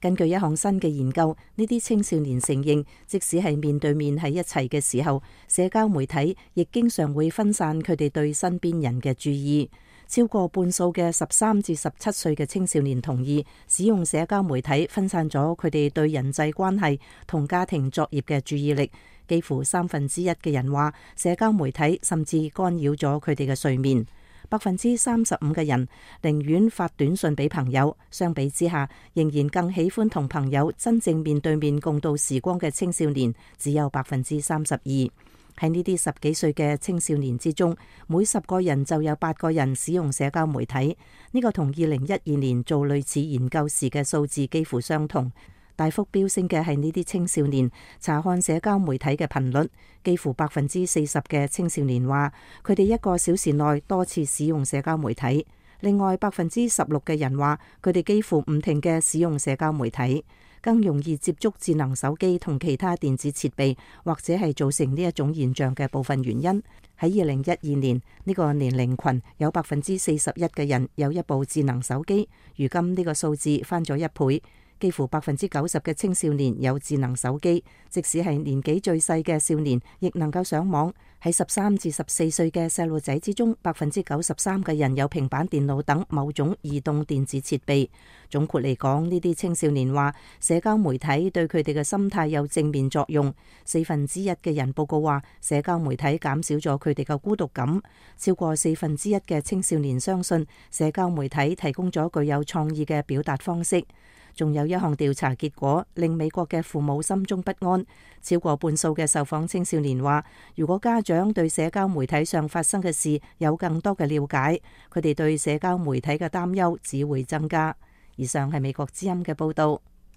根據一項新嘅研究，呢啲青少年承認，即使係面對面喺一齊嘅時候，社交媒體亦經常會分散佢哋對身邊人嘅注意。超過半數嘅13至17歲嘅青少年同意，使用社交媒體分散咗佢哋對人際關係同家庭作業嘅注意力。幾乎1/3嘅人話，社交媒體甚至干擾咗佢哋嘅睡眠。35%嘅人寧願發短信俾朋友，相比之下，仍然更喜歡同朋友真正面對面共度時光嘅青少年只有32%。喺呢啲10幾歲嘅青少年之中，每10個人就有8個人使用社交媒體。呢個同2012年做類似研究時嘅數字幾乎相同。大幅飆升嘅係呢啲青少年查看社交媒體嘅頻率，幾乎40%嘅青少年話佢哋1個小時內多次使用社交媒體。另外16%嘅人話佢哋幾乎唔停嘅使用社交媒體。更容易接觸智能手機同其他電子設備，或者係造成呢一種現象嘅部分原因。喺2012年，呢個年齡群有41%嘅人有一部智能手機，如今呢個數字翻咗1倍。幾乎90%嘅青少年有智能手機，即使係年紀最細嘅少年，亦能夠上網。喺13至14歲嘅細路仔之中，93%嘅人有平板電腦等某種移動電子設備。總括嚟講，呢啲青少年話社交媒體對佢哋嘅心態有正面作用。1/4嘅人報告話，社交媒體減少咗佢哋嘅孤獨感。超過1/4嘅青少年相信社交媒體提供咗具有創意嘅表達方式。仲有一項調查結果令美國嘅父母心中不安，超過半數嘅受訪青少年話，如果家長對社交媒體上發生嘅事有更多嘅了解，佢哋對社交媒體嘅擔憂只會增加。以上係美國之音嘅報道。